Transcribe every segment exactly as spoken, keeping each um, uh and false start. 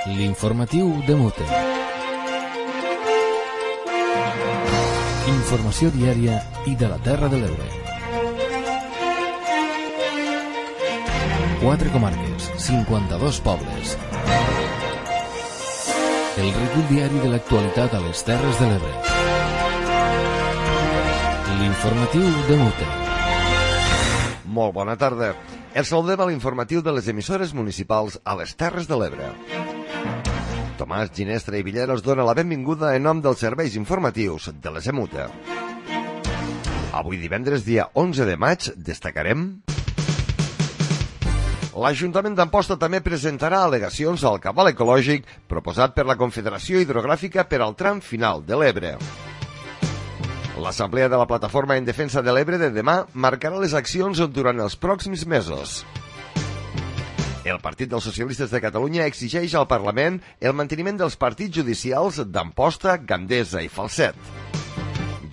L'informatiu de Mute. Informació diària i de la Terra de l'Ebre. Quatre comarques, cinquanta-dos pobles. El recull diari de l'actualitat a les Terres de l'Ebre. L'informatiu de Mute. Molt bona tarda. Els saludem a l'informatiu de les emissores municipals a les Terres de l'Ebre. Tomàs Ginestra i Villeros dona la benvinguda en nom dels serveis informatius de les EMUTE. Avui divendres, dia onze de maig, destacarem... L'Ajuntament d'Amposta també presentarà al·legacions al cabal ecològic proposat per la Confederació Hidrogràfica per al tram final de l'Ebre. L'Assemblea de la Plataforma en Defensa de l'Ebre de demà marcarà les accions durant els pròxims mesos. El Partit dels Socialistes de Catalunya exigeix al Parlament el manteniment dels partits judicials d'Amposta, Gandesa i Falset.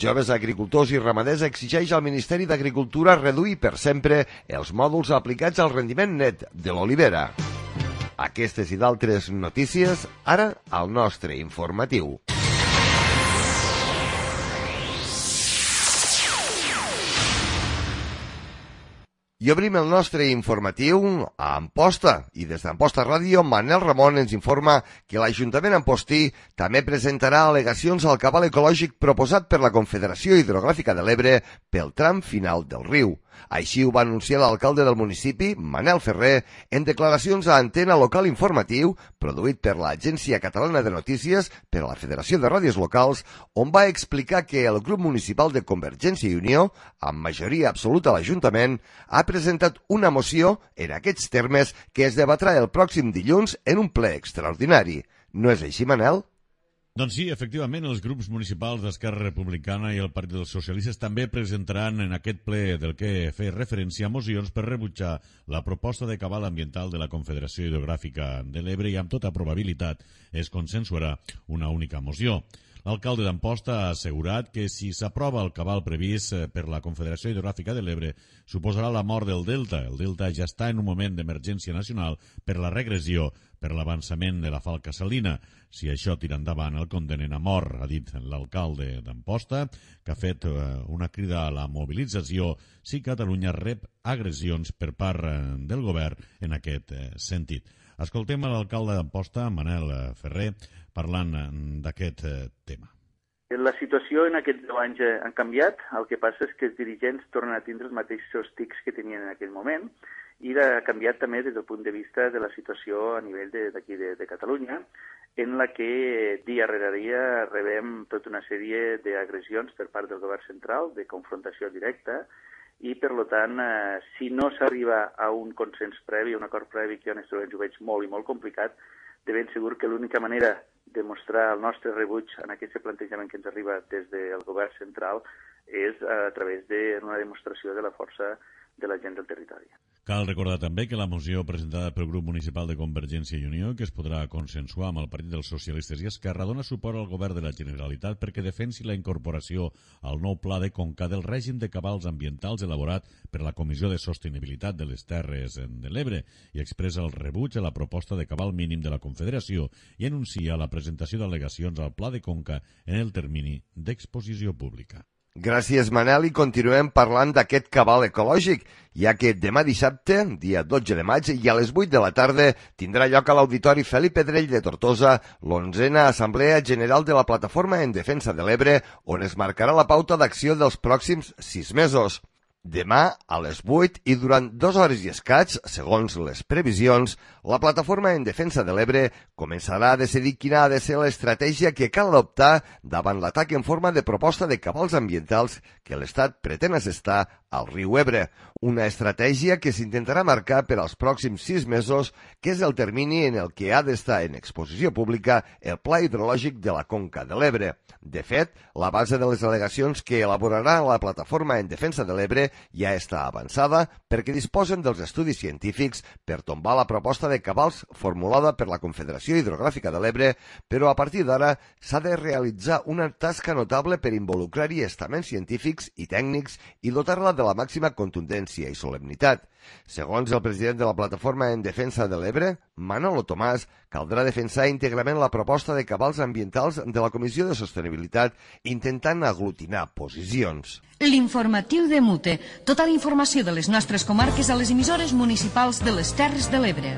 Joves agricultors i ramaders exigeix al Ministeri d'Agricultura reduir per sempre els mòduls aplicats al rendiment net de l'olivera. Aquestes i d'altres notícies, ara al nostre informatiu. I obrim el nostre informatiu a Amposta. I des d'Amposta Ràdio, Manel Ramon ens informa que l'Ajuntament ampostí també presentarà al·legacions al cabal ecològic proposat per la Confederació Hidrogràfica de l'Ebre pel tram final del riu. Així ho va anunciar l'alcalde del municipi, Manel Ferrer, en declaracions a Antena Local Informatiu, produït per l'Agència Catalana de Notícies per a la Federació de Ràdios Locals, on va explicar que el grup municipal de Convergència i Unió, amb majoria absoluta a l'Ajuntament, ha presentat una moció en aquests termes que es debatrà el pròxim dilluns en un ple extraordinari. No és així, Manel? Doncs sí, efectivament, els grups municipals d'Esquerra Republicana i el Partit dels Socialistes també presentaran en aquest ple del que fer referència a mocions per rebutjar la proposta de cabal ambiental de la Confederació Hidrogràfica de l'Ebre i amb tota probabilitat es consensuarà una única moció. L'alcalde d'Amposta ha assegurat que si s'aprova el cabal previst per la Confederació Hidrogràfica de l'Ebre suposarà la mort del delta. El delta ja està en un moment d'emergència nacional per la regressió, per l'avançament de la falca salina. Si això tira endavant el condemnen a mort, ha dit l'alcalde d'Amposta, que ha fet una crida a la mobilització si Catalunya rep agressions per part del govern en aquest sentit. Escoltem l'alcalde d'Amposta, Manel Ferrer, parlant d'aquest tema. La situació en aquests deu anys ha canviat. El que passa és que els dirigents tornen a tindre els mateixos tics que tenien en aquell moment i ha canviat també des del punt de vista de la situació a nivell d'aquí de, de, de Catalunya, en la que dia rere dia rebem tota una sèrie d'agressions per part del govern central, de confrontació directa, i, per tant, eh, si no s'arriba a un consens previ, a un acord previ, que jo en aquests moments ho veig molt i molt complicat, de ben segur que l'única manera de mostrar el nostre rebuig en aquest plantejament que ens arriba des del govern central és a través d'una demostració de la força de la gent del territori. Cal recordar també que la moció presentada pel grup municipal de Convergència i Unió, que es podrà consensuar amb el Partit dels Socialistes i Esquerra, dona suport al govern de la Generalitat perquè defensi la incorporació al nou pla de conca del règim de cabals ambientals elaborat per la Comissió de Sostenibilitat de les Terres de l'Ebre i expressa el rebuig a la proposta de cabal mínim de la Confederació i anuncia la presentació d'al·legacions al pla de conca en el termini d'exposició pública. Gràcies, Manel, i continuem parlant d'aquest cabal ecològic, ja que demà dissabte, dia dotze de maig, i a les vuit de la tarda, tindrà lloc a l'Auditori Felip Pedrell de Tortosa l'onzena Assemblea General de la Plataforma en Defensa de l'Ebre, on es marcarà la pauta d'acció dels pròxims sis mesos. Demà, a les vuit i durant dues hores i escaig, segons les previsions, la Plataforma en Defensa de l'Ebre començarà a decidir quina ha de ser l'estratègia que cal adoptar davant l'atac en forma de proposta de cabals ambientals que l'Estat pretén assestar al riu Ebre. Una estratègia que s'intentarà marcar per als pròxims sis mesos, que és el termini en el que ha d'estar en exposició pública el Pla Hidrològic de la Conca de l'Ebre. De fet, la base de les al·legacions que elaborarà la Plataforma en Defensa de l'Ebre ja està avançada perquè disposen dels estudis científics per tombar la proposta de cabals formulada per la Confederació Hidrogràfica de l'Ebre, però a partir d'ara s'ha de realitzar una tasca notable per involucrar-hi estaments científics i tècnics i dotar-la de la màxima contundència i solemnitat. Segons el president de la Plataforma en Defensa de l'Ebre, Manolo Tomàs, caldrà defensar íntegrament la proposta de cabals ambientals de la Comissió de Sostenibilitat, intentant aglutinar posicions. L'informatiu de Mute. Tota la informació de les nostres comarques a les emissores municipals de les Terres de l'Ebre.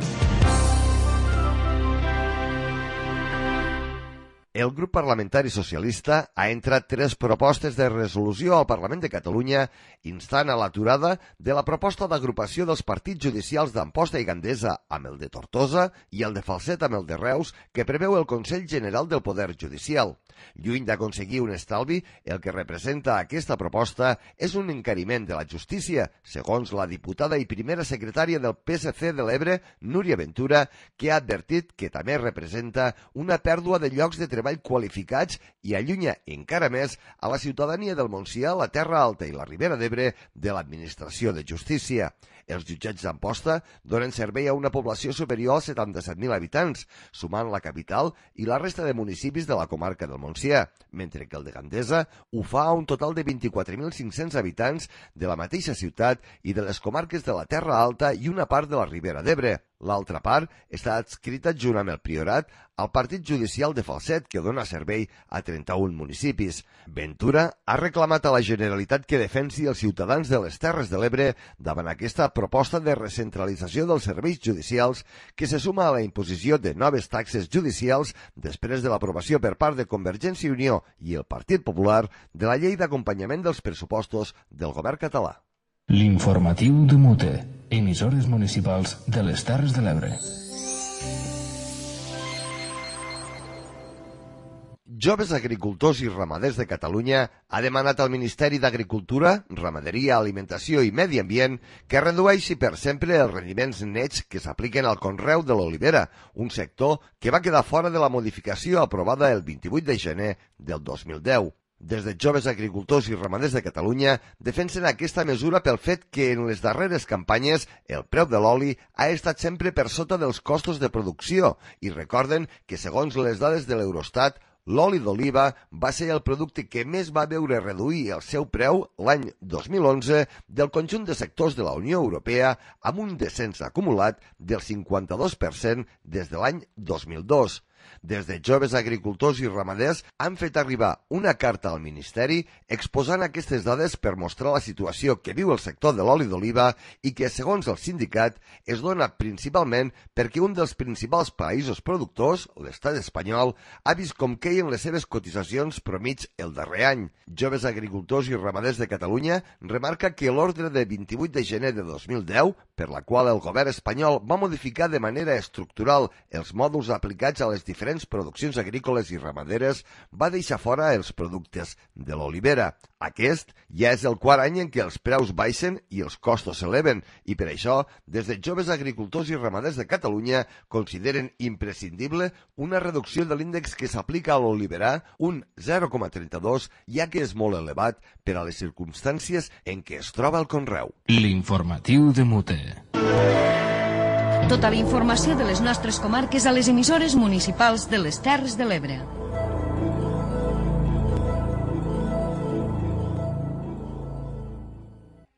El grup parlamentari socialista ha entrat tres propostes de resolució al Parlament de Catalunya instant a l'aturada de la proposta d'agrupació dels partits judicials d'Amposta i Gandesa amb el de Tortosa i el de Falset amb el de Reus que preveu el Consell General del Poder Judicial. Lluny d'aconseguir un estalvi, el que representa aquesta proposta és un encariment de la justícia, segons la diputada i primera secretària del P S C de l'Ebre, Núria Ventura, que ha advertit que també representa una pèrdua de llocs de treball qualificats i allunya encara més a la ciutadania del Montsià, la Terra Alta i la Ribera d'Ebre de l'Administració de Justícia. Els jutjats d'Amposta donen servei a una població superior als setanta-set mil habitants, sumant la capital i la resta de municipis de la comarca del Montsià, mentre que el de Gandesa ho fa a un total de vint-i-quatre mil cinc-cents habitants de la mateixa ciutat i de les comarques de la Terra Alta i una part de la Ribera d'Ebre. L'altra part està adscrita junt amb el Priorat al Partit Judicial de Falset, que dona servei a trenta-un municipis. Ventura ha reclamat a la Generalitat que defensi els ciutadans de les Terres de l'Ebre davant aquesta proposta de recentralització dels serveis judicials que se suma a la imposició de noves taxes judicials després de l'aprovació per part de Convergència i Unió i el Partit Popular de la llei d'acompanyament dels pressupostos del govern català. L'informatiu de Mute, emissores municipals de les Terres de l'Ebre. Joves Agricultors i Ramaders de Catalunya ha demanat al Ministeri d'Agricultura, Ramaderia, Alimentació i Medi Ambient que redueixi per sempre els rendiments nets que s'apliquen al conreu de l'olivera, un sector que va quedar fora de la modificació aprovada el vint-i-vuit de gener del dos mil deu. Des de Joves Agricultors i Ramaders de Catalunya defensen aquesta mesura pel fet que en les darreres campanyes el preu de l'oli ha estat sempre per sota dels costos de producció i recorden que segons les dades de l'Eurostat, l'oli d'oliva va ser el producte que més va veure reduir el seu preu l'any dos mil onze del conjunt de sectors de la Unió Europea amb un descens acumulat del cinquanta-dos per cent des de l'any dos mil dos. Des de Joves Agricultors i Ramaders han fet arribar una carta al Ministeri exposant aquestes dades per mostrar la situació que viu el sector de l'oli d'oliva i que, segons el sindicat, es dona principalment perquè un dels principals països productors, l'estat espanyol, ha vist com queien les seves cotitzacions promig el darrer any. Joves Agricultors i Ramaders de Catalunya remarca que l'ordre de vint-i-vuit de gener de dos mil deu, per la qual el govern espanyol va modificar de manera estructural els mòduls aplicats a les diferents produccions agrícoles i ramaderes, va deixar fora els productes de l'olivera. Aquest ja és el quart any en què els preus baixen i els costos s'eleven, i per això, des de Joves Agricultors i Ramaders de Catalunya, consideren imprescindible una reducció de l'índex que s'aplica a l'oliverà, un zero coma trenta-dos, ja que és molt elevat per a les circumstàncies en què es troba el conreu. L'informatiu de Mute. Tota la informació de les nostres comarques a les emissores municipals de les Terres de l'Ebre.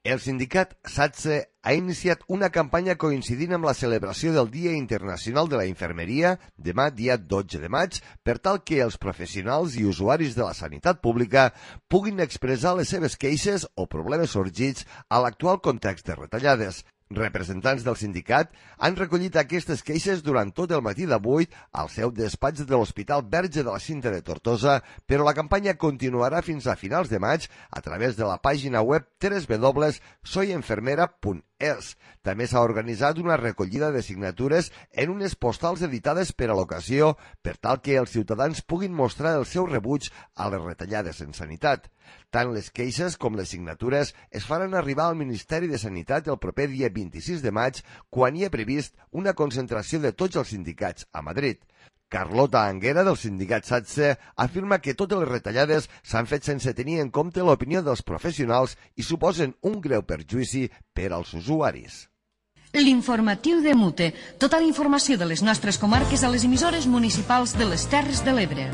El sindicat SATSE ha iniciat una campanya coincidint amb la celebració del Dia Internacional de la Infermeria, demà dia dotze de maig, per tal que els professionals i usuaris de la sanitat pública puguin expressar les seves queixes o problemes sorgits a l'actual context de retallades. Representants del sindicat han recollit aquestes queixes durant tot el matí d'avui al seu despatx de l'Hospital Verge de la Cinta de Tortosa, però la campanya continuarà fins a finals de maig a través de la pàgina web w w w punt soy enfermera punt es. També s'ha organitzat una recollida de signatures en unes postals editades per a l'ocasió per tal que els ciutadans puguin mostrar el seu rebuig a les retallades en sanitat. Tant les queixes com les signatures es faran arribar al Ministeri de Sanitat el proper dia vint-i-sis de maig, quan hi ha previst una concentració de tots els sindicats a Madrid. Carlota Anguera, del sindicat SATSE, afirma que totes les retallades s'han fet sense tenir en compte l'opinió dels professionals i suposen un greu perjuïci per als usuaris. L'informatiu de Mute. Tota la informació de les nostres comarques a les emissores municipals de les Terres de l'Ebre.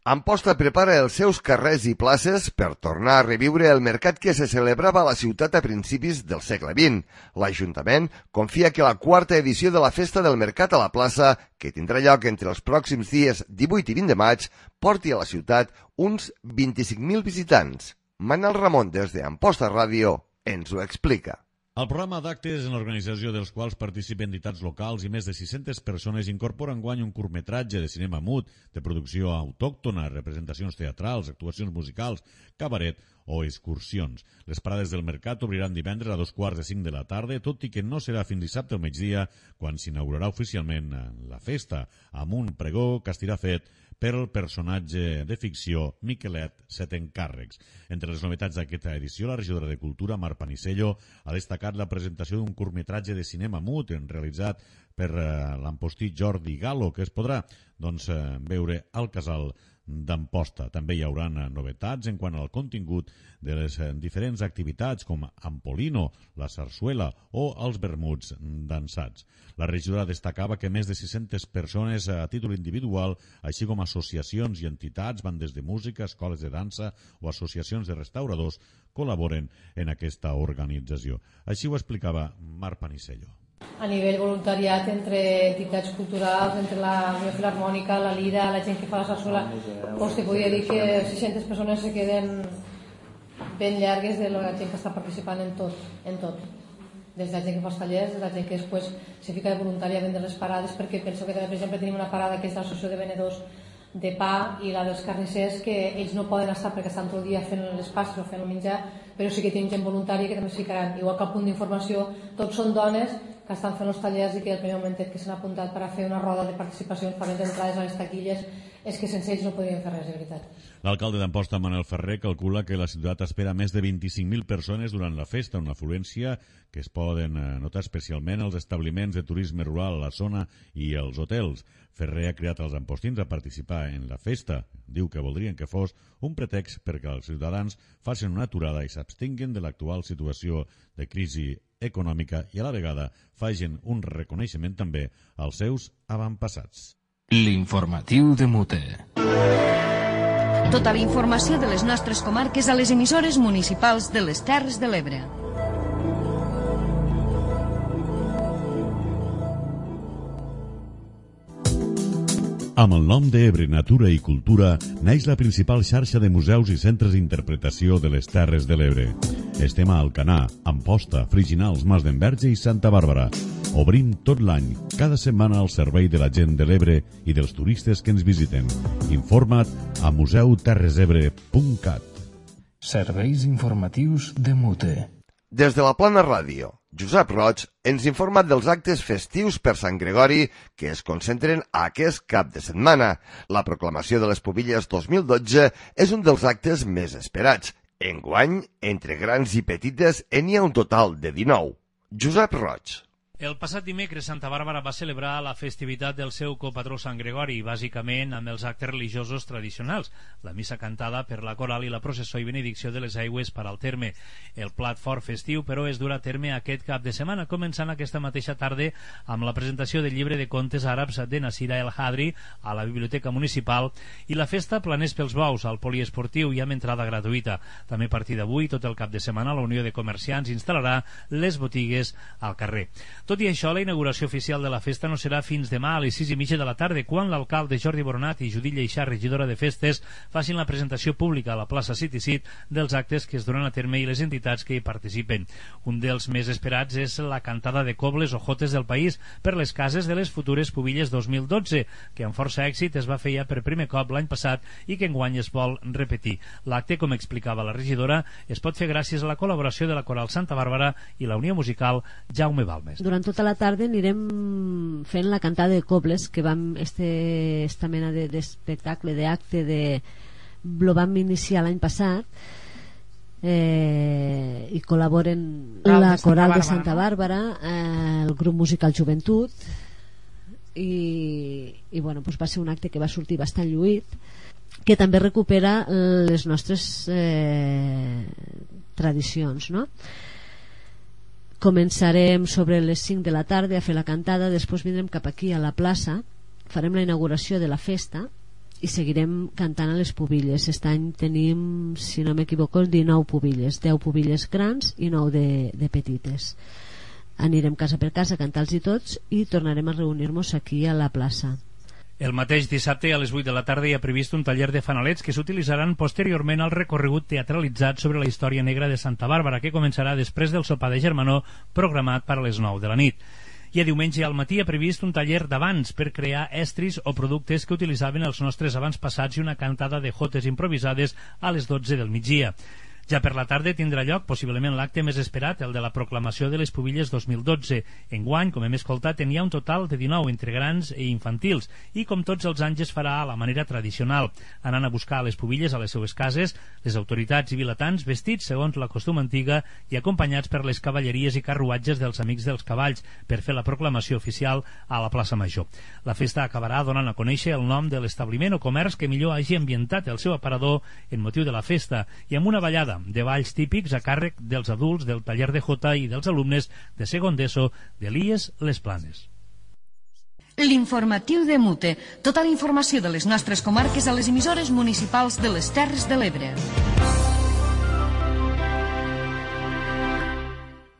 Amposta prepara els seus carrers i places per tornar a reviure el mercat que se celebrava a la ciutat a principis del segle vint. L'Ajuntament confia que la quarta edició de la Festa del Mercat a la plaça, que tindrà lloc entre els pròxims dies divuit i vint de maig, porti a la ciutat uns vint-i-cinc mil visitants. Manel Ramon, des d'Amposta Ràdio, ens ho explica. El programa d'actes en l'organització dels quals participen entitats locals i més de sis-centes persones incorpora enguany un curtmetratge de cinema mut, de producció autòctona, representacions teatrals, actuacions musicals, cabaret o excursions. Les parades del mercat obriran divendres a dos quarts de cinc de la tarda, tot i que no serà fins dissabte al migdia, quan s'inaugurarà oficialment la festa, amb un pregó que estirà fet per el personatge de ficció Miquelet Setencàrrecs. Entre les novetats d'aquesta edició, la regidora de Cultura, Mar Panisello, ha destacat la presentació d'un curtmetratge de cinema mut realitzat per eh, l'ampostí Jordi Galo, que es podrà doncs, eh, veure al Casal d'Amposta. També hi haurà novetats en quant al contingut de les diferents activitats com Ampolino, la sarsuela o els vermuts dansats. La regidora destacava que més de sis-centes persones a títol individual, així com associacions i entitats, bandes de música, escoles de dansa o associacions de restauradors, col·laboren en aquesta organització. Així ho explicava Mar Panisello. A nivell voluntariat entre entitats culturals, entre la Unió Filarmònica, la Lira, la gent que fa la sarsuela, doncs te podria dir que sis-centes persones se queden ben llargues de la gent que està participant en tot, en tot. Des de la gent que fa els tallers, des de la gent que després se fica de voluntària a vendre les parades, perquè penso que, per exemple, tenim una parada que és de l'associació de venedors de pa i la dels carnissers, que ells no poden estar perquè estan tot el dia fent les pastes o fent el menjar, però sí que tenim gent voluntària que també es ficaran. Igual que al punt d'informació, tots són dones que estan fent els tallers i que el primer moment que s'han apuntat per a fer una roda de participació en pagament d'entrades a les taquilles, és que sense ells no podríem fer res, de veritat. L'alcalde d'Amposta, Manel Ferrer, calcula que la ciutat espera més de vint-i-cinc mil persones durant la festa, una afluència que es poden notar especialment als establiments de turisme rural a la zona i als hotels. Ferrer ha cridat els ampostins a participar en la festa. Diu que voldrien que fos un pretext perquè els ciutadans facin una aturada i s'abstinguen de l'actual situació de crisi econòmica i a la vegada facin un reconeixement també als seus avantpassats. L'informatiu de Mute. Tota la informació de les nostres comarques a les emissores municipals de les Terres de l'Ebre. Amb el nom d'Ebre Natura i Cultura neix la principal xarxa de museus i centres d'interpretació de les Terres de l'Ebre. Estem a Alcanar, Amposta, Friginals, Mas d'Enverge i Santa Bàrbara. Obrim tot l'any, cada setmana al servei de la gent de l'Ebre i dels turistes que ens visiten. Informa't a museu terres ebre punt cat. Serveis informatius de Mute. Des de la Plana Ràdio, Josep Roig ens informa dels actes festius per Sant Gregori que es concentren aquest cap de setmana. La proclamació de les Pubilles dos mil dotze és un dels actes més esperats. Enguany, entre grans i petites, n'hi ha un total de dinou. Josep Roig. El passat dimecres, Santa Bàrbara va celebrar la festivitat del seu copatró Sant Gregori, bàsicament amb els actes religiosos tradicionals, la missa cantada per la coral i la processó i benedicció de les aigües per al terme. El plat fort festiu, però, es durà a terme aquest cap de setmana, començant aquesta mateixa tarda amb la presentació del llibre de contes àrabs de Nasira El Hadri a la Biblioteca Municipal i la festa Planers pels Bous al poliesportiu i amb entrada gratuïta. També a partir d'avui, tot el cap de setmana, la Unió de Comerciants instal·larà les botigues al carrer. Tot i això, la inauguració oficial de la festa no serà fins demà a les sis i mitja de la tarda, quan l'alcalde Jordi Boronat i Judit Lleixà, regidora de festes, facin la presentació pública a la plaça City Sit dels actes que es duran a terme i les entitats que hi participen. Un dels més esperats és la cantada de cobles o jotes del país per les cases de les futures Pubilles dos mil dotze, que amb força èxit es va fer ja per primer cop l'any passat i que enguany es vol repetir. L'acte, com explicava la regidora, es pot fer gràcies a la col·laboració de la Coral Santa Bàrbara i la Unió Musical Jaume Balmes. Durant tota la tarda anirem fent la cantada de cobles, que vam este, esta mena d'espectacle, de, d'acte de, lo vam iniciar l'any passat, eh, i col·laboren la Coral de Santa Bàrbara, eh, el grup musical Joventut, i, i bueno, doncs va ser un acte que va sortir bastant lluït, que també recupera les nostres eh, tradicions, no? Començarem sobre les cinc de la tarda a fer la cantada, després vindrem cap aquí a la plaça, farem la inauguració de la festa i seguirem cantant a les pubilles. Aquest any tenim, si no m'equivoco, dinou pubilles, deu pubilles grans i nou de, de petites. Anirem casa per casa a cantar-los i tots i tornarem a reunir-nos aquí a la plaça. El mateix dissabte a les vuit de la tarda hi ha previst un taller de fanalets que s'utilitzaran posteriorment al recorregut teatralitzat sobre la història negra de Santa Bàrbara, que començarà després del sopar de germanor programat per a les nou de la nit. I a diumenge al matí ha previst un taller d'abans per crear estris o productes que utilitzaven els nostres abans passats i una cantada de jotes improvisades a les dotze del migdia. Ja per la tarda tindrà lloc possiblement l'acte més esperat, el de la proclamació de les pubilles dos mil dotze. Enguany, com hem escoltat, n'hi ha un total de dinou entre grans i infantils i com tots els anys es farà a la manera tradicional, anant a buscar les pubilles a les seues cases, les autoritats i vilatans vestits segons la costum antiga i acompanyats per les cavalleries i carruatges dels Amics dels Cavalls per fer la proclamació oficial a la plaça Major. La festa acabarà donant a conèixer el nom de l'establiment o comerç que millor hagi ambientat el seu aparador en motiu de la festa i amb una ballada de balls típics a càrrec dels adults del taller de jota i dels alumnes de segon d'ESO d'Elies Les Planes. L'informatiu de Mute. Tota la informació de les nostres comarques a les emissores municipals de les Terres de l'Ebre.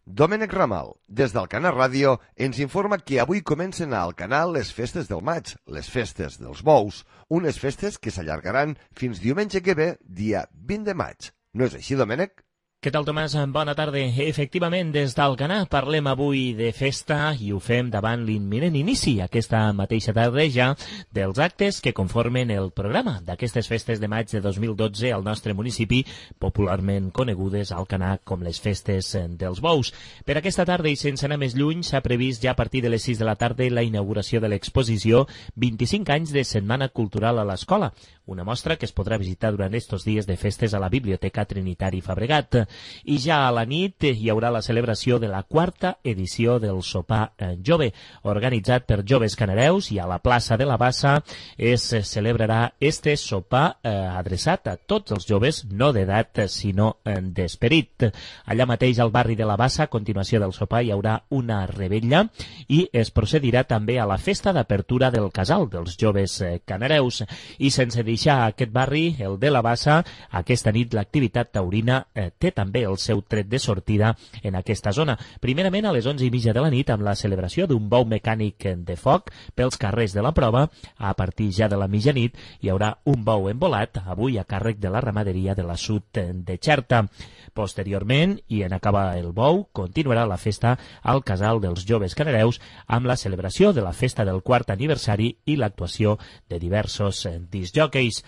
Domènec Ramal, des d'Alcanar Ràdio, ens informa que avui comencen a Alcanar les festes del maig, les festes dels bous, unes festes que s'allargaran fins diumenge que ve, dia vint de maig. No és així, Domènec? Què tal, Tomàs? Bona tarda. Efectivament, des d'Alcanar parlem avui de festa i ho fem davant l'imminent inici aquesta mateixa tarda ja dels actes que conformen el programa d'aquestes festes de maig de dos mil dotze al nostre municipi, popularment conegudes a Alcanar com les festes dels bous. Per aquesta tarda i sense anar més lluny s'ha previst ja a partir de les sis de la tarda la inauguració de l'exposició vint-i-cinc anys de Setmana Cultural a l'Escola, una mostra que es podrà visitar durant estos dies de festes a la Biblioteca Trinitari Fabregat. I ja a la nit hi haurà la celebració de la quarta edició del Sopar Jove, organitzat per joves canareus, i a la plaça de la Bassa es celebrarà este sopar eh, adreçat a tots els joves, no d'edat sinó d'esperit. Allà mateix al barri de la Bassa, a continuació del sopar, hi haurà una rebella i es procedirà també a la festa d'apertura del casal dels joves canareus. I sense deixar aquest barri, el de la Bassa, aquesta nit l'activitat taurina eh, té també el seu tret de sortida en aquesta zona. Primerament a les onze i mitja de la nit amb la celebració d'un bou mecànic de foc pels carrers de la prova. A partir ja de la mitjanit hi haurà un bou embolat, avui a càrrec de la ramaderia de la Sud de Xerta. Posteriorment, i en acabar el bou, continuarà la festa al casal dels joves canareus amb la celebració de la festa del quart aniversari i l'actuació de diversos discjòqueis.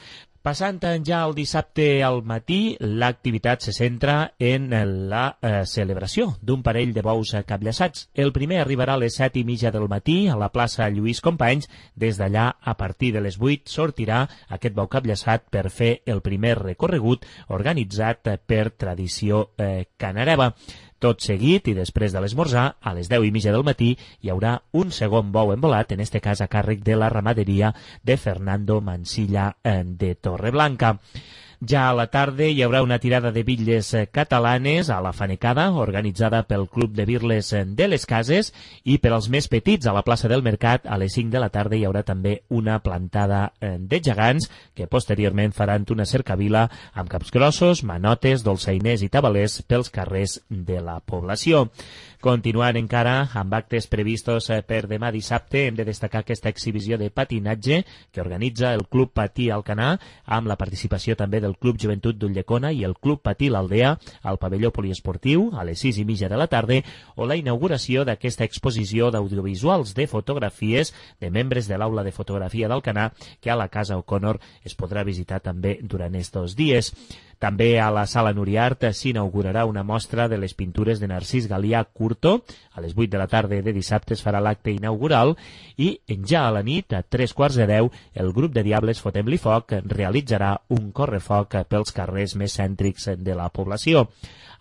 Passant ja el dissabte al matí, l'activitat se centra en la eh, celebració d'un parell de bous capllaçats. El primer arribarà a les set i mitja del matí a la plaça Lluís Companys. Des d'allà, a partir de les vuit, sortirà aquest bou capllaçat per fer el primer recorregut organitzat per Tradició eh, Canareva. Tot seguit i després de l'esmorzar, a les deu i mitja del matí, hi haurà un segon bou embolat, en este cas a càrrec de la ramaderia de Fernando Mansilla de Torreblanca. Ja a la tarda hi haurà una tirada de bitlles catalanes a la Fanecada, organitzada pel Club de Birles de les Cases, i per als més petits a la plaça del Mercat a les cinc de la tarda hi haurà també una plantada de gegants que posteriorment faran una cercavila amb capgrossos, manotes, dolçainers i tabalers pels carrers de la població. Continuant encara amb actes previstos per demà dissabte, hem de destacar aquesta exhibició de patinatge que organitza el Club Patí Alcanar amb la participació també del Club Joventut d'Ulldecona i el Club Patí l'Aldea al pavelló poliesportiu a les sis i mitja de la tarda, o la inauguració d'aquesta exposició d'audiovisuals de fotografies de membres de l'Aula de Fotografia d'Alcanar que a la Casa O'Connor es podrà visitar també durant estos dies. També a la Sala Nuriart s'inaugurarà una mostra de les pintures de Narcís Galià Curto. A les vuit de la tarda de dissabte es farà l'acte inaugural i ja a la nit, a tres quarts de deu, el grup de Diables Fotem-li Foc realitzarà un correfoc pels carrers més cèntrics de la població.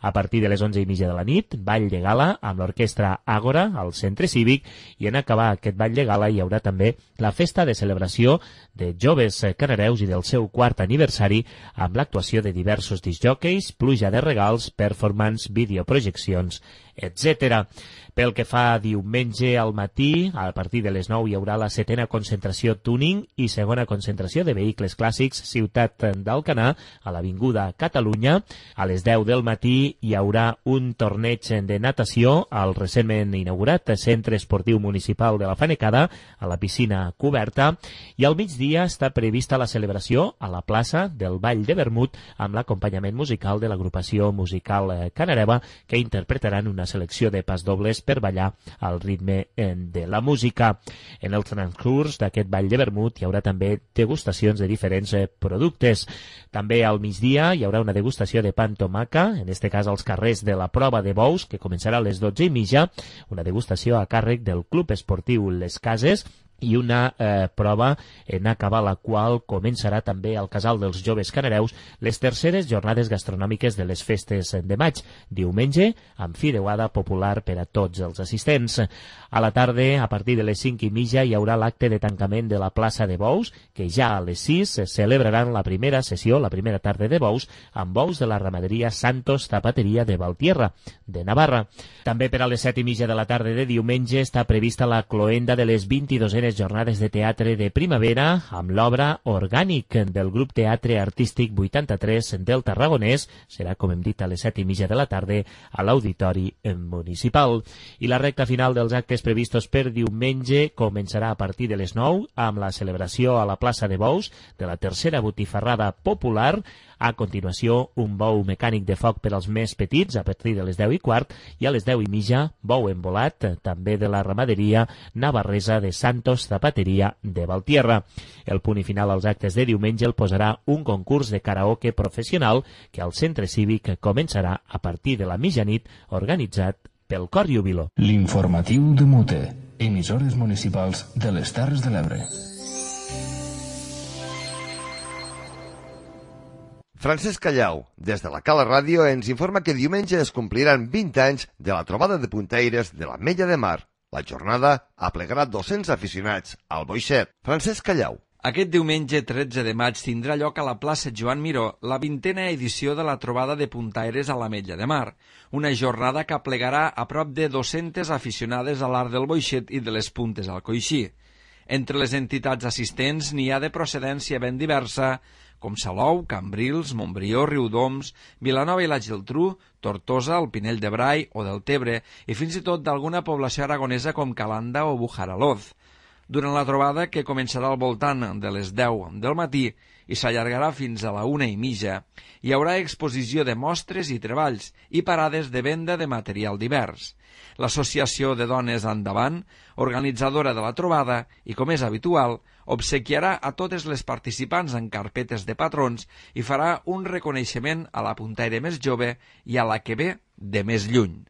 A partir de les onze i mitja de la nit, ball de gala amb l'orquestra Àgora al Centre Cívic, i en acabar aquest ball de gala hi haurà també la festa de celebració de joves canareus i del seu quart aniversari amb l'actuació de diversos discjòqueis, pluja de regals, performance, videoprojeccions, etcètera. Pel que fa a diumenge al matí, a partir de les nou hi haurà la setena concentració Tuning i segona concentració de vehicles clàssics Ciutat d'Alcanar a l'Avinguda Catalunya. A les deu del matí hi haurà un torneig de natació al recentment inaugurat Centre Esportiu Municipal de la Fanecada a la piscina coberta i al migdia està prevista la celebració a la plaça del Ball de Vermut amb l'acompanyament musical de l'agrupació musical Canareva que interpretaran una selecció de pasdobles per ballar al ritme de la música. En el transcurs d'aquest Ball de Vermut hi haurà també degustacions de diferents productes. També al migdia hi haurà una degustació de pa amb tomaca, en aquest cas als carrers de la Prova de Bous, que començarà a les dotze i mitja, una degustació a càrrec del Club Esportiu Les Cases, i una eh, prova en acabar la qual començarà també al Casal dels Joves Canareus les terceres jornades gastronòmiques de les festes de maig, diumenge, amb fideuada popular per a tots els assistents. A la tarda, a partir de les cinc i mitja, hi haurà l'acte de tancament de la plaça de Bous, que ja a les sis celebraran la primera sessió, la primera tarda de Bous, amb bous de la ramaderia Santos Zapateria de Valtierra, de Navarra. També per a les set i mitja de la tarda de diumenge està prevista la cloenda de les vint-i-duenes jornades de teatre de primavera amb l'obra Orgànic del grup Teatre Artístic vuitanta-tres del Tarragonès. Serà, com hem dit, a les set i mitja de la tarda a l'Auditori Municipal. I la recta final dels actes previstos per diumenge començarà a partir de les nou amb la celebració a la plaça de Bous de la tercera botifarrada popular. A continuació, un bou mecànic de foc per als més petits a partir de les deu i quart i a les deu i mitja, bou embolat, també de la ramaderia navarresa de Santos Zapateria de Valtierra. El punt i final als actes de diumenge el posarà un concurs de karaoke professional que al centre cívic començarà a partir de la mitjanit, organitzat pel Cor Júbilo. L'informatiu de Mute, emissores municipals de les Terres de l'Ebre. Francesc Callau, des de la Cala Ràdio, ens informa que diumenge es compliran vint anys de la trobada de puntaires de l'Ametlla de Mar. La jornada aplegarà dos-cents aficionats al boixet. Francesc Callau. Aquest diumenge tretze de maig tindrà lloc a la plaça Joan Miró la vintena edició de la trobada de puntaires a l'Ametlla de Mar, una jornada que aplegarà a prop de dos-centes aficionades a l'art del boixet i de les puntes al coixí. Entre les entitats assistents n'hi ha de procedència ben diversa, com Salou, Cambrils, Montbrió, Riudoms, Vilanova i la Geltrú, Tortosa, el Pinell de Brai o del Tebre i fins i tot d'alguna població aragonesa com Calanda o Bujaraloz. Durant la trobada, que començarà al voltant de les deu del matí i s'allargarà fins a la una i mitja, hi haurà exposició de mostres i treballs i parades de venda de material divers. L'Associació de Dones Endavant, organitzadora de la trobada i, com és habitual, obsequiarà a totes les participants en carpetes de patrons i farà un reconeixement a la puntaire més jove i a la que ve de més lluny.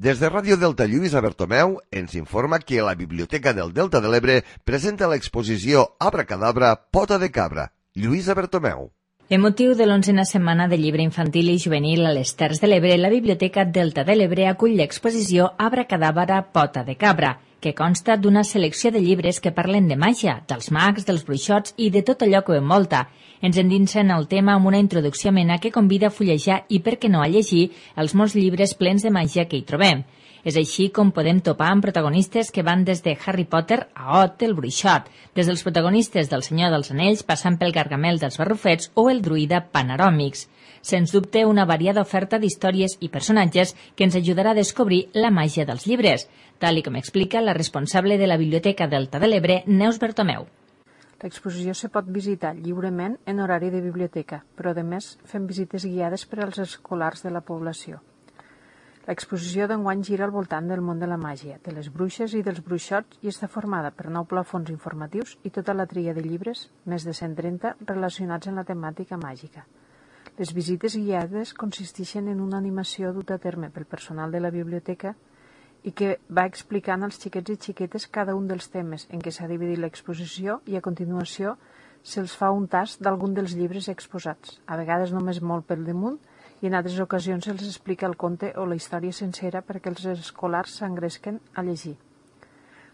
Des de Ràdio Delta, Lluïsa Bertomeu ens informa que la Biblioteca del Delta de l'Ebre presenta l'exposició Abracadabra, pota de cabra. Lluïsa Bertomeu. En motiu de l'onzena setmana de llibre infantil i juvenil a les Terres de l'Ebre, la Biblioteca Delta de l'Ebre acull l'exposició Abracadabra, pota de cabra, que consta d'una selecció de llibres que parlen de màgia, dels mags, dels bruixots i de tot allò que ho envolta. Ens endinsen el tema amb una introducció amena que convida a fullejar i, per què no, a llegir els molts llibres plens de màgia que hi trobem. És així com podem topar amb protagonistes que van des de Harry Potter a Ot, el bruixot, des dels protagonistes del Senyor dels Anells passant pel Gargamel dels Barrufets o el druida Panoròmix. Sens dubte, una variada oferta d'històries i personatges que ens ajudarà a descobrir la màgia dels llibres, tal i com explica la responsable de la Biblioteca Delta de l'Ebre, Neus Bertomeu. L'exposició se pot visitar lliurement en horari de biblioteca, però a més fem visites guiades per als escolars de la població. L'exposició d'enguany gira al voltant del món de la màgia, de les bruixes i dels bruixots i està formada per nou plafons informatius i tota la tria de llibres, més de cent trenta, relacionats amb la temàtica màgica. Les visites guiades consisteixen en una animació duta a terme pel personal de la biblioteca i que va explicant als xiquets i xiquetes cada un dels temes en què s'ha dividit l'exposició i a continuació se'ls fa un tast d'algun dels llibres exposats, a vegades només molt pel damunt, i en altres ocasions se'ls explica el conte o la història sencera perquè els escolars s'engresquen a llegir.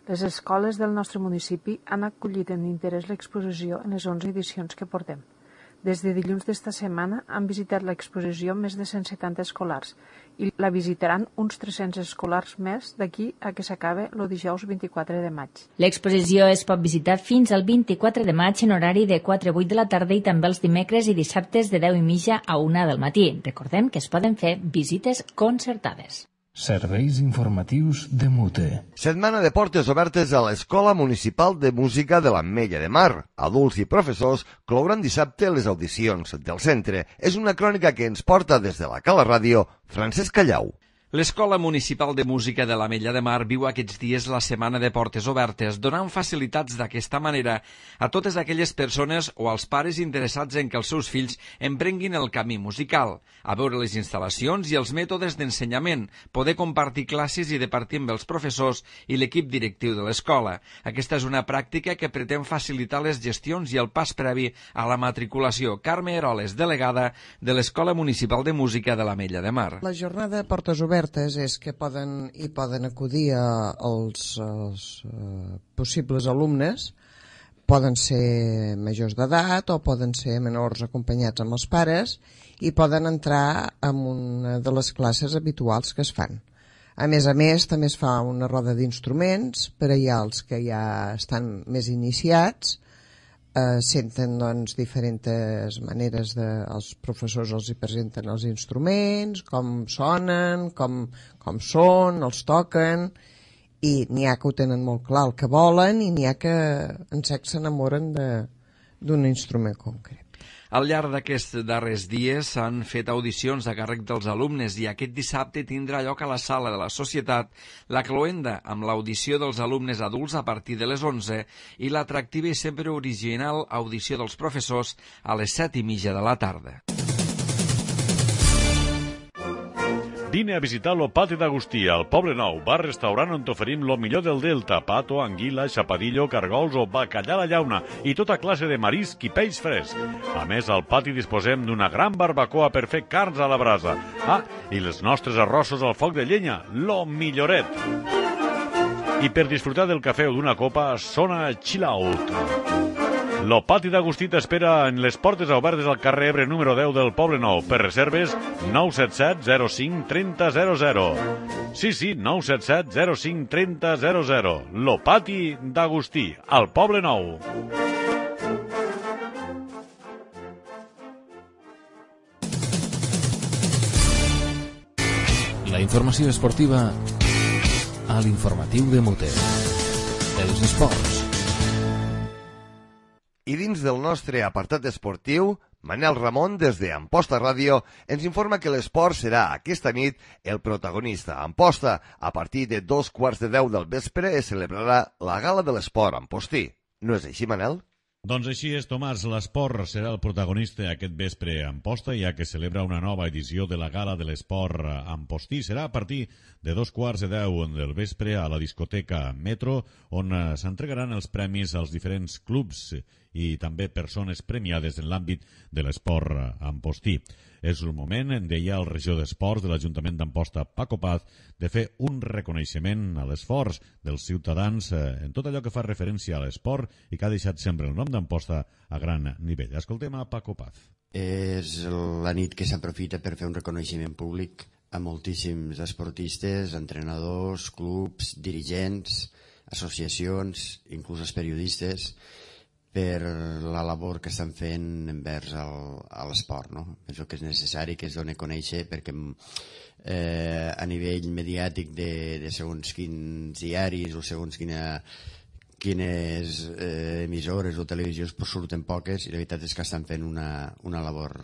Les escoles del nostre municipi han acollit amb interès l'exposició en les onze edicions que portem. Des de dilluns d'esta setmana han visitat l'exposició més de cent setanta escolars i la visitaran uns tres-cents escolars més d'aquí a que s'acabe el dijous vint-i-quatre de maig. L'exposició es pot visitar fins al vint-i-quatre de maig en horari de quatre a vuit de la tarda i també els dimecres i dissabtes de deu i mitja a una del matí. Recordem que es poden fer visites concertades. Serveis informatius de Mute. Setmana de portes obertes a l'Escola Municipal de Música de l'Ametlla de Mar. Adults i professors clouran dissabte les audicions del centre. És una crònica que ens porta des de la Cala Ràdio Francesc Callau. L'Escola Municipal de Música de l'Ametlla de Mar viu aquests dies la setmana de portes obertes, donant facilitats d'aquesta manera a totes aquelles persones o als pares interessats en que els seus fills emprenguin el camí musical, a veure les instal·lacions i els mètodes d'ensenyament, poder compartir classes i departir amb els professors i l'equip directiu de l'escola. Aquesta és una pràctica que pretén facilitar les gestions i el pas previ a la matriculació. Carme Eroles, delegada de l'Escola Municipal de Música de l'Ametlla de Mar. La jornada de portes obertes és que poden, hi poden acudir a, als, als uh, possibles alumnes, poden ser majors d'edat o poden ser menors acompanyats amb els pares i poden entrar en una de les classes habituals que es fan. A més a més, també es fa una roda d'instruments per allà els que ja estan més iniciats, Eh, senten doncs diferents maneres de, els professors els hi presenten els instruments, com sonen, com, com són, els toquen, i n'hi ha que ho tenen molt clar el que volen i n'hi ha que en sec s'enamoren d'un instrument concret. Al llarg d'aquests darrers dies s'han fet audicions a càrrec dels alumnes i aquest dissabte tindrà lloc a la Sala de la Societat la cloenda amb l'audició dels alumnes adults a partir de les onze i l'atractiva i sempre original audició dels professors a les set i mitja de la tarda. Vine a visitar lo Pati d'Agustí, al Poble Nou, bar-restaurant on t'oferim lo millor del Delta, pato, anguila, xapadillo, cargols o bacallà a la llauna i tota classe de marisc i peix fresc. A més, al pati disposem d'una gran barbacoa per fer carns a la brasa. Ah, i els nostres arrossos al foc de llenya, lo milloret. I per disfrutar del cafè o d'una copa, sona Chill Out. Lo Pati d'Agustí t'espera en les portes obertes al carrer Ebre número deu del Poble Nou. Per reserves, nou set set zero cinc trenta zero zero. Sí, sí, nou set set zero cinc trenta zero zero. Lo Pati d'Agustí, al Poble Nou. La informació esportiva a l'informatiu de Mute. Els esports. I dins del nostre apartat esportiu, Manel Ramon, des de Amposta Ràdio, ens informa que l'esport serà aquesta nit el protagonista. Amposta, a partir de dos quarts de deu del vespre, es celebrarà la Gala de l'Esport Ampostí. No és així, Manel? Doncs així és, Tomàs. L'esport serà el protagonista aquest vespre a Amposta, ja que celebra una nova edició de la Gala de l'Esport Ampostí. Serà a partir de dos quarts de deu del vespre a la discoteca Metro, on s'entregaran els premis als diferents clubs i també persones premiades en l'àmbit de l'esport ampostí. És el moment, deia el regidor d'Esports de l'Ajuntament d'Amposta, Paco Paz, de fer un reconeixement a l'esforç dels ciutadans en tot allò que fa referència a l'esport i que ha deixat sempre el nom d'Amposta a gran nivell. Escoltem a Paco Paz. És la nit que s'aprofita per fer un reconeixement públic a moltíssims esportistes, entrenadors, clubs, dirigents, associacions, inclús els periodistes, per la labor que estan fent envers el, l'esport, no? Penso que és necessari que es doni a conèixer perquè eh, a nivell mediàtic de, de segons quins diaris o segons quina, quines eh, emissores o televisions pues, surten poques i la veritat és que estan fent una, una labor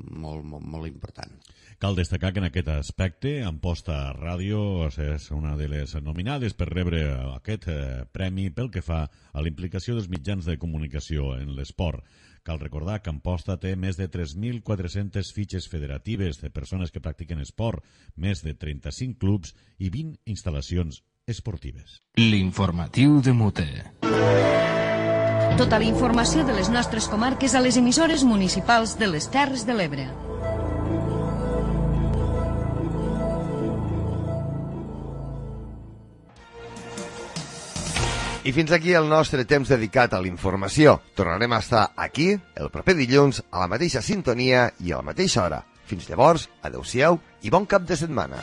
molt, molt, molt important. Cal destacar que en aquest aspecte Amposta Ràdio és una de les nominades per rebre aquest premi pel que fa a la implicació dels mitjans de comunicació en l'esport. Cal recordar que Amposta té més de tres mil quatre-centes fitxes federatives de persones que practiquen esport, més de trenta-cinc clubs i vint instal·lacions esportives. L'informatiu de Mute. Tota la informació de les nostres comarques a les emissores municipals de les Terres de l'Ebre. I fins aquí el nostre temps dedicat a la informació. Tornarem a estar aquí el proper dilluns a la mateixa sintonia i a la mateixa hora. Fins llavors, adeu-siau i bon cap de setmana.